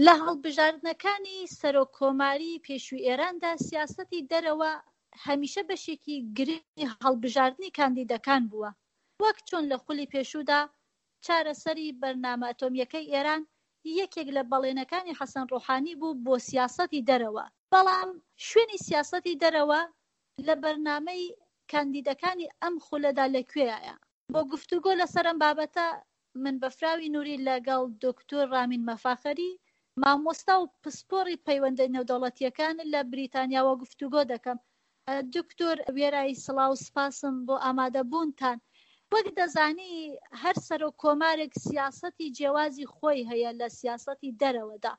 لە هەڵبژاردنەکانی سەرۆک کۆماری پێشووی ئێراندا سیاسەتی دەرەوە هەمیشە بەشێکی گرنگی هەڵبژاردنی کاندیدەکان بووە، وەک چۆن لە خولی پێشوودا چارەسەری بەرنامە ئەتۆمییەکەی ئێران یەکێک لە بەڵێنەکانی حەسەن ڕۆحانی بوو بۆ سیاسەتی دەرەوە، بەڵام شوێنی سیاسەتی دەرەوە لە بەرنامەی کاندیدەکانی ئەم خولەدا لە کوێیایە؟ بۆ گفتوگۆ لەسەر ئەم بابەتە من بەفراوی نوری لەگەڵ دکتۆر ڕامین مەفاخەری، مامۆستا و پسپۆڕی پەیوەندە نێودەوڵەتییەکان لە بریتانیاوە گفتوگۆ دەکەم. دکتۆر وێرای سڵاو و سپاسم بۆ ئامادەبوونتان. وەک دەزانی هەر سەرۆک کۆمارێک سیاسەتی جیاوازی خۆی هەیە لە سیاسەتی دەرەوەدا،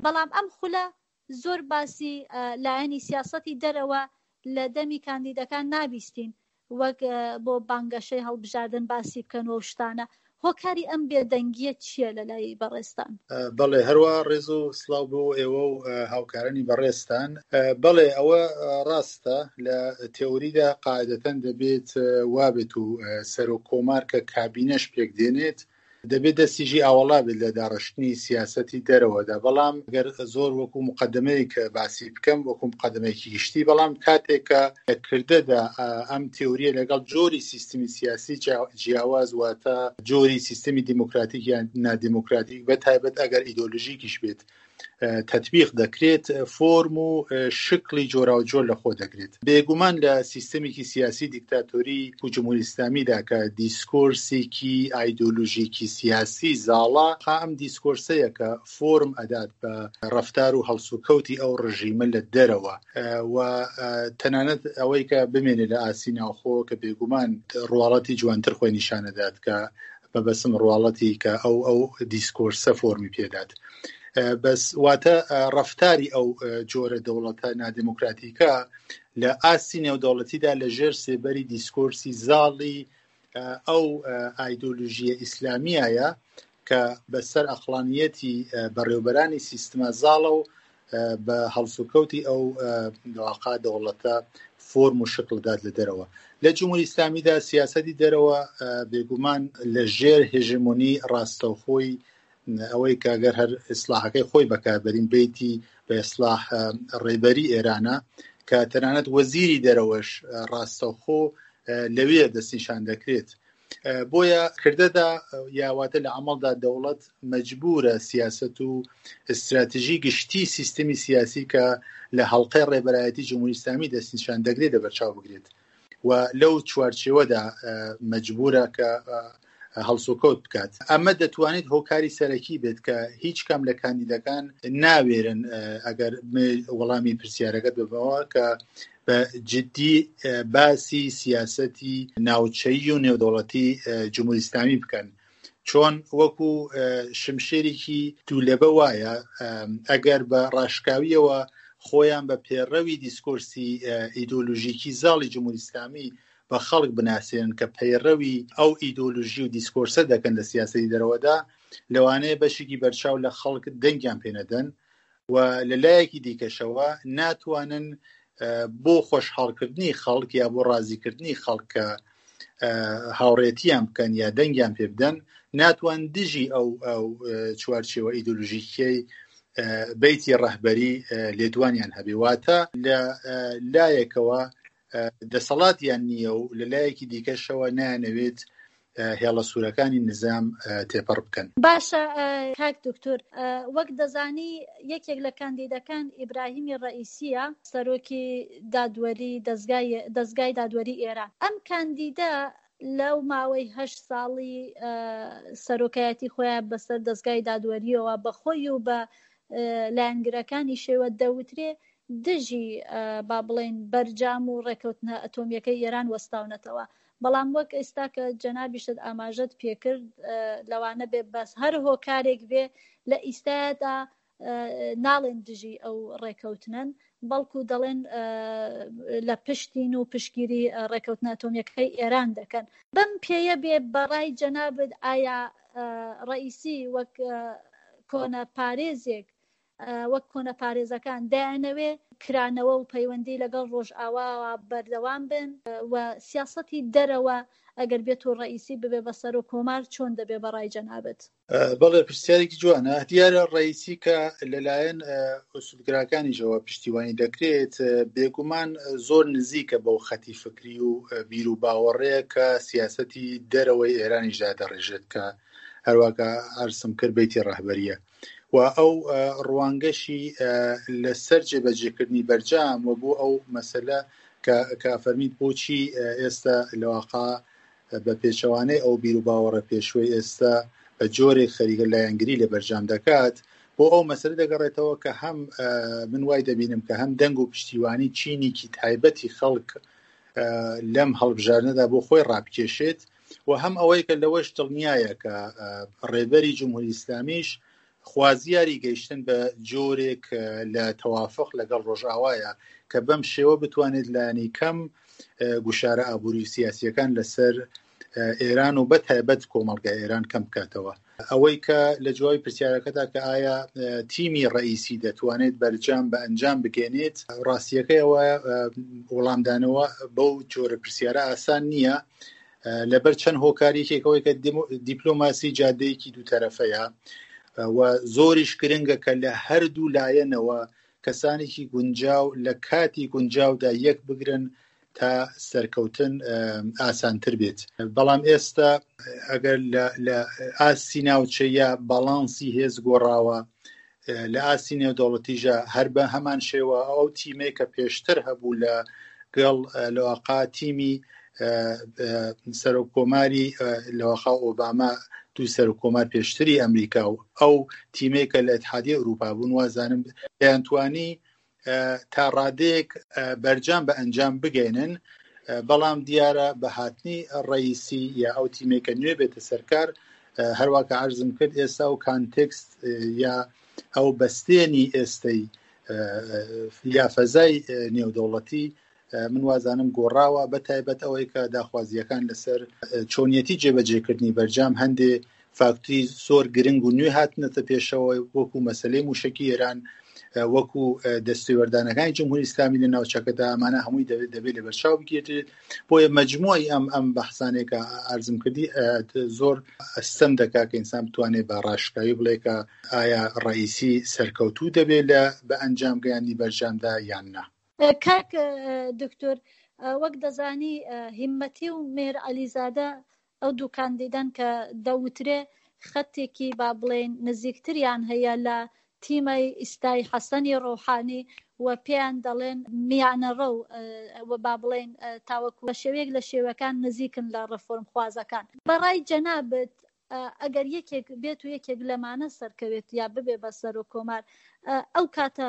بەڵام ئەم خولە زۆر باسی لایەنی سیاسەتی دەرەوە لە دەمی کاندیدەکان نابیستین وەک بۆ بانگەشەی هەڵبژاردن باسی بکەن و شتانە هۆکاری ئەم بێدەنگیە چییە لە لای بەڕێزتان؟ بەڵێ هەروا ڕێز و سڵاو بۆ ئێوە و هاوکارانی بەڕێزتان. بەڵێ ئەوە ڕاستە لە تێئۆریدا قاعدەتەن دەبێت وابێت و سەرۆک کۆمار کە کابینەش پێک دێنێت دەبێت دەستیشی ئاوەڵا بێت لە داڕشتنی سیاسەتی دەرەوەدا، بەڵام گەر زۆر وەکو موقەدەمەیەک باسی بکەم، وەکو موقەدەمەیەکی گشتی، بەڵام کاتێک کە لە کردەدا ئەم تێورییە لەگەڵ جۆری سیستمی سیاسی جیاواز واتە جۆری سیستمی دیموکراتیک یان نادیموکراتیک بە تایبەت ئەگەر ئیدۆلۆژیکیش بێت تەتبیق دەکرێت فۆرم و شکڵی جۆراوجۆر لە خۆ دەگرێت. بێگومان لە سیستەمێکی سیاسی دیکتاتۆری و جمهوری ئیسلامیدا کە دیسکۆرسێکی ئایدۆلۆژیکی سیاسی زاڵە، ئەم دیسکۆرسەیە کە فۆرم ئەدات بە ڕەفتار و هەڵسوکەوتی ئەو ڕژیمە لە دەرەوە و تەنانەت ئەوەی کە بمێنێ لە ئاستی ناوخۆ کە بێگومان ڕواڵەتی جوانتر خۆی نیشانەدات کە مەبەستم ڕواڵەتی کە ئەو ئەو دیسکۆرسە فۆرمی پێدات بەس واتە ڕەفتاری ئەو جۆرە دەوڵەتە نادێموکراتیکە لە ئاستی نێودەوڵەتیدا لە ژێر سێبەری دیسکۆرسی زاڵی ئەو ئایدۆلژیە ئیسلامیایە کە بەسەر ئەقڵانیەتی بەڕێوبەرانی سیستمە زاڵە و بە هەڵسوکەوتی ئەو واقع دەوڵەتە فۆرم و شکڵ دات لە دەرەوە لە جمهوری ئیسلامیدا سیاسەتی دەرەوە بێگومان لە ژێر هێژمۆنی ڕاستەوخۆی ئەوەی کە گەر هەر ئیسلاحەکەی خۆی بەکاربەرین بیتی بە ئیسلاح ڕێبەری ئێرانە کە تەنانەت وەزیری دەرەوەش ڕاستەوخۆ لەوێ دەستنیشان دەکرێت بۆیە کردەدا یاواتە لە عملدا دەوڵەت مەجبورە سیاست و استراتژی گشتی سیستمی سیاسی کە لە هەڵلقەی ڕێبەرایەتی جمهوری ئیسلامی دەستنیشان دەگرێت لەبەرچاو بگرێت و لەو چوارچێوەدا مەجبورە کە هەڵسوکەوت بکات ئەمە دەتوانێت هۆکاری سەرەکی بێت کە هیچ کام لە کاندیدەکان ناوێرن ئەگەر وەڵامی پرسیارەکەت ببەوە کە بە جدی باسی سیاسەتی ناوچەیی و نێودەوڵەتی جمهوری ئیسلامی بکەن چۆن وەکو شمشێرێکی دوولەبە وایە ئەگەر بە ڕاشکاویەوە خۆیان بە پێڕەوی دیسکۆرسی ئیدۆلۆژیکی زاڵی جمهوری ئیسلامی بە خەڵک بناسێنن کە پەیڕەوی ئەو ئیدۆلۆژی و دیسکۆرسە دەکەن لە سیاسەتی دەرەوەدا لەوانەیە بەشێکی بەرچاو لە خەڵک دەنگیان پێنەدەن و لە لایەکی دیکەشەوە ناتوانن بۆ خۆشحاڵکردنی خەڵک یا بۆ ڕازیکردنی خەڵک کە هاوڕێتیان بکەن یا دەنگیان پێ بدەن ناتوان دژی ئەو ئەو چوارچێوە ئیدۆلۆژیکیەی بیتی ڕەهبەری لێدوانیان هەبێ واتە لە لایەکەوە دەسەڵاتیان نییە و لە لایەکی دیکەشەوە نایانەوێت هێڵە سوورەکانی نزام تێپەڕ بکەن. باشە کاک دوکتور وەک دەزانی یەکێک لە کاندیدەکان ئیبراهیمی ڕەئیسیە سەرۆکی دادوەری دەزگای دەزگای دادوەری ئێران ئەم کاندیدە لەو ماوەی هەشت ساڵی سەرۆکایەتی خۆیان بەسەر دەزگای دادوەریەوە بە خۆی و بە لایەنگرەکانیشەوە دەوترێ دژی با بڵێین بەرجام و ڕێکەوتنە ئەتۆمیەکەی ئێران وەستاونەتەوە بەڵام وەک ئێستا کە جەنابیشت ئاماژەت پێکرد لەوانە بێ بەس هەر هۆکارێک بێ لە ئیستادا ناڵێن دژی ئەو ڕێکەوتنن بەڵکو دەڵێن لە پشتین و پشگیری ڕێکەوتنە ئەتۆمیەکەی ئێران دەکەن بەم پێیە بێ بەڕای جەنابت ئایا ڕئیسی وەک کۆنە پارێزێک. وەک کۆنەپارێزەکان دەیانەوێ کرانەوە و پەیوەندی لەگەڵ ڕۆژئاواوە بەردەوام بن و سیاسەتی دەرەوە ئەگەر بێت و ڕەئیسی ببێ بە سەرۆک کۆمار چۆن دەبێ بە ڕای جەنابت؟ بەڵێ پرسیارێکی جوانە. دیارە ڕەئیسی کە لەلایەن ئوسولگراکانیشەوە پشتیوانی دەکرێت، بێگومان زۆر نزیکە بەو خەتی فکری و بیر و باوەڕەیە کە سیاسەتی دەرەوەی ئێرانیش دادەڕێژێت کە هەرواکە عەرزم کرد بەیتی ڕەهبەریە. و ئەو ڕوانگەشی لەسەر جێبەجێکردنی بەرجام و بۆ ئەو مەسەلە کە فەرمیت بۆچی ئێستا لەواقع بە پێچەوانەی ئەو بیر و باوەڕە پێشوەی ئێستا بە جۆرێک خەریکە لایەنگری لە بەرجام دەکات بۆ ئەو مەسەلە دەگەڕێتەوە کە هەم من وای دەبینم کە هەم دەنگ و پشتیوانی چینێکی تایبەتی خەڵک لەم هەڵبژاردنەدا بۆ خۆی ڕابکێشێت و هەم ئەوەی کە لەوەش دڵنیایە کە ڕێبەری جمهوری ئیسلامیش خوازیاری گەیشتن بە جۆرێک لە تەوافق لەگەڵ ڕۆژئاوایە کە بەم شێوە بتوانێت لانی کەم گوشارە ئابووری و سیاسیەکان لەسەر ئێران و بە تایبەت کۆمەڵگای ئێران کەم بکاتەوە. ئەوەی کە لە جوابی پرسیارەکەدا کە ئایا تیمی ڕەئیسی دەتوانێت بەرجام بە ئەنجام بگەێنێت، ڕاستیەکەی ئەوە وەڵامدانەوە بەو جۆرە پرسیارە ئاسان نییە لەبەر چەند هۆکار یەکێک ئەوەی کە دیپلۆماسی جادەیەکی دووتەرەفەیە و زۆریش گرنگە کە لە هەردوو لایەنەوە کەسانێکی گونجاو لە کاتی گونجاودا یەک بگرن تا سەرکەوتن ئاسانتر بێت بەڵام ئێستا ئەگەر لە ئاستی ناوچەیە باڵانسی هێز گۆڕاوە لە ئاستی نێودەوڵەتیژە هەر بە هەمان شێوە ئەو تیمێک کە پێشتر هەبوو لە گەڵ لەواقا تیمی سەرۆک کۆماری لەواقا ئۆباما دوو سەرۆک کۆمار پێشتری ئەمریکا و ئەو تیمێکە لە ئیتحادیە ئەوروپا بوون وازانم دەیانتوانی تا ڕادەیەک بەرجام بە ئەنجام بگەێنن بەڵام دیارە بە هاتنی ڕئیسی یا ئەو تیمێکە نوێ بێتە سەرکار هەروە کە عرضم کرد ئێستا و کانتێکست یا ئەو بەستێنی ئێستەی یا فەزای نێودەوڵەتی من وازانم گۆڕاوە بە تایبەت ئەوەی کە داخوازییەکان لەسەر چۆنیەتی جێبەجێکردنی بەرجام هەندێ فاکتری زۆر گرنگ و نوێ هاتنەتە پێشەوە وەکو مەسلەی موشکی ئێران وەکو دەستێوەردانەکانی جمهوری ئیسلامی لە ناوچەکەدا ئەمانە هەمووی دەبێت دەبێت لە بەرچاو بگیرێت بۆیە مجموعی ئەم ئەم بەحسانێکە ئارزم کردی زۆر ئەستەم دەکا کە ئینسان بتوانێت بە ڕاشکاوی بڵێ کە ئایا ڕئیسی سەرکەوتوو دەبێت لە بە ئەنجام گەیاندنی بەرجامدا یان نا. کاک دکتۆر وەک دەزانی هیمەتی و مێر عەلیزادە ئەو دوو کاندیدەن کە دەوترێ خەتێکی با بڵێین نزیکتریان هەیە لە تیمەی ئیستای حەسەنی ڕۆحانی و پێیان دەڵێن میانەڕەو و با بڵێین تاوەکو بە شێوەیەک لە شێوەکان نزیکن لە ڕێفۆرمخوازەکان. بە ڕای جەنابت ئەگەر یەکێک بێت و یەکێک لەمانە سەرکەوێت یا ببێ بە سەرۆک کۆمار ئەو کاتە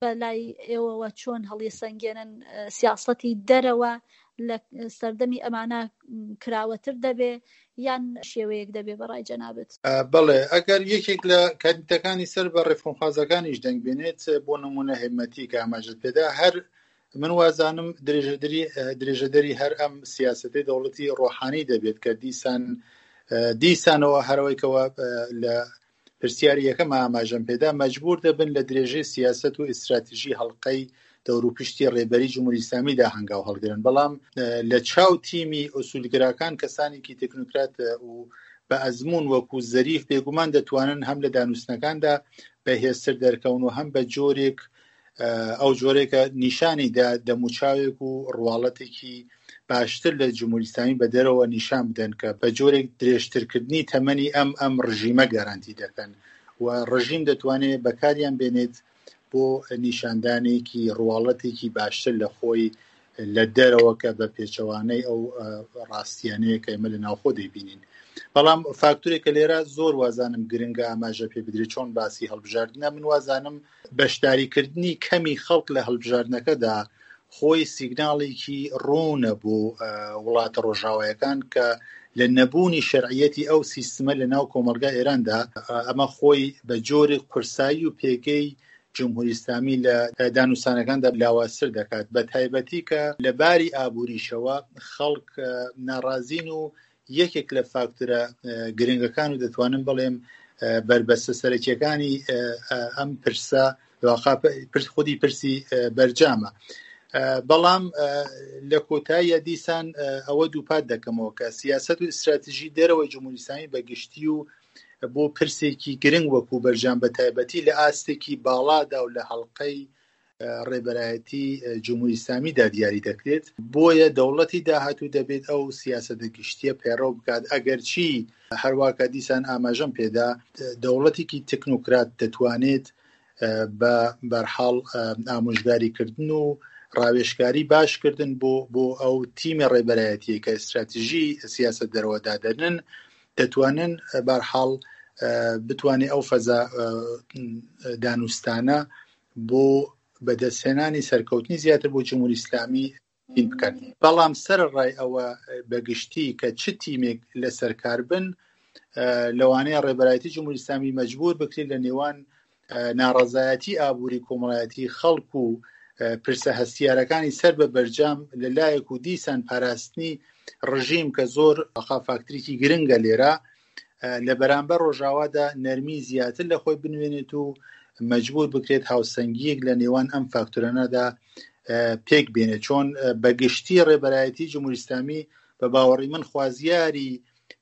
بە لای ئێوەوە چۆن هەڵیسەنگێنن سیاسەتی دەرەوە لە سەردەمی ئەمانە کراوەتر دەبێ یان شێوەیەک دەبێ بە ڕای جەنابت؟ بەڵێ ئەگەر یەکێک لە کاندیدەکانی سەر بە ڕێفۆرمخوازەکانیش دەنگ بێنێت بۆ نمونە هێمەتی کە ئاماژەت پێدا هەر من وازانم درێژەدەری درێژەدەری هەر ئەم سیاسەتی دەوڵەتی ڕۆحانی دەبێت کە دیسان دیسانەوە هەرەوەی کەەوە لە پرسیاری یەکەم ئاماژەم پێدا، مەجبوور دەبن لە درێژەی سیاسەت و ئیستراتژی هەڵقەی دەوروپشتی ڕێبەری جمهوری ئیسلامیدا هەنگاو هەڵگرن، بەڵام لە چاو تیمی ئوسولگراکان کەسانێکی تکنوکرات و بە ئەزموون وەکوو زەریف بێگومان دەتوانن هەم لە دانوستنەکاندا بەهێزتر دەرکەون و هەم بە جۆرێک ئەو جۆرێکە نیشانی دا دەموچاوێک و ڕواڵەتێکی باشتر لە جمهوری ئیسلامی بە دەرەوە نیشان بدەن کە بە جۆرێک درێژترکردنی تەمەنی ئەم ئەم ڕژیمە گەرانتی دەکەن و ڕژیم دەتوانێت بەکاریان بێنێت بۆ نیشاندانێکی ڕواڵەتێکی باشتر لە خۆی لە دەرەوە کە بە پێچەوانەی ئەو ڕاستیانەیە کە ئێمە لە ناوخۆ دەیبینین بەڵام فاکتورێک کە لێرە زۆر وازانم گرنگە ئاماژە پێ بدرێت چۆن باسی هەڵبژاردنە من وازانم بەشداریکردنی کەمی خەڵک لە هەڵبژاردنەکەدا خۆی سیگناڵێکی ڕوونە بۆ وڵاتە ڕۆژاوایەکان کە لە نەبوونی شەرعیەتی ئەو سیستمە لە ناو کۆمەڵگای ئێراندا ئەمە خۆی بە جۆرێک قورسایی و پێگەی جمهوری ئیسلامی لە دانوستانەکاندا لاوازتر دەکات بە تایبەتی کە لە باری ئابووریشەوە خەڵک ناڕازین و یەکێک لە فاکتەرە گرنگەکان و دەتوانم بڵێم بەربەستە سەرەکیەکانی ئەم پرسە واقع پرس خودی پرسی بەرجامە. بەڵام لە کۆتاییە دیسان ئەوە دووپات دەکەمەوە کە سیاست و ئیستراتژی دەرەوەی جمهوری ئیسلامی بە گشتی و بۆ پرسێکی گرنگ وەکو بەرجام بە تایبەتی لە ئاستێکی باڵادا و لە هەڵلقەی ڕێبەرایەتی جمهوری ئیسلامیدا دیاری دەکرێت بۆیە دەوڵەتی داهاتوو دەبێت ئەو سیاسەتە گشتیە پەیڕەو بکات ئەگەرچی هەرواکە دیسان ئاماژەم پێدا دەوڵەتێکی تەکنۆکرات دەتوانێت بە بەرحاڵ ئامۆژگاریکردن و ڕاوێژکاری باشکردن بۆ بۆ ئەو تیمی ڕێبەرایەتیە کە ئیستراتیژی سیاست دەرەوە دادەنن دەتوانن بارحاڵ بتوانێت ئەو فەزا دانوستانە بۆ بەدەستهێنانی سەرکەوتنی زیاتر بۆ جمهوری ئیسلامی تین بکەن بەڵام سەرەڕای ئەوە بەگشتی کە چ تیمێک لەسەر کار بن لەوانەیە ڕێبەرایەتی جمهوری ئیسلامی مەجبور بکرێت لە نێوان ناڕەزایەتی ئابووری کۆمەڵایەتی خەڵک و پرسە هەستیارەکانی سەر بە بەرجام لە لایەک و دیسان پاراستنی ڕژیم کە زۆر فاکتریکی گرنگە لێرە لە بەرامبەر ڕۆژاوادا نەرمی زیاتر لە خۆی بنوێنێت و مەجبور بکرێت هاوسەنگیەک لە نێوان ئەم فاکتۆرانەدا پێک بێنێت چۆن بەگشتی ڕێبەرایەتی جمهوری ئیسلامی بە باوەڕی من خوازیاری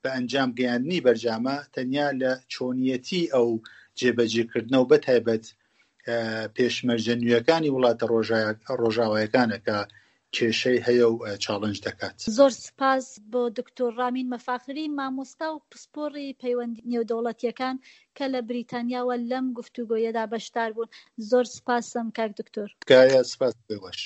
بە ئەنجام گەیاندنی بەرجامە تەنیا لە چۆنیەتی ئەو جێبەجێکردنە و بەتایبەت پێشمەرجە نوێیەکانی وڵاتە ڕۆژاوایەکانە کە کێشەی هەیە و چاڵنج دەکات. زۆر سپاس بۆ دکتۆر ڕامین مەفاخری، مامۆستا و پسپۆڕی پەیوەندی نێودەوڵەتییەکان کە لە بریتانیاوە لەم گفتوگۆیەدا بەشدار بوون. زۆر سپاسم کاک دکتۆر. تکایە سپاس بۆ ئێوەش.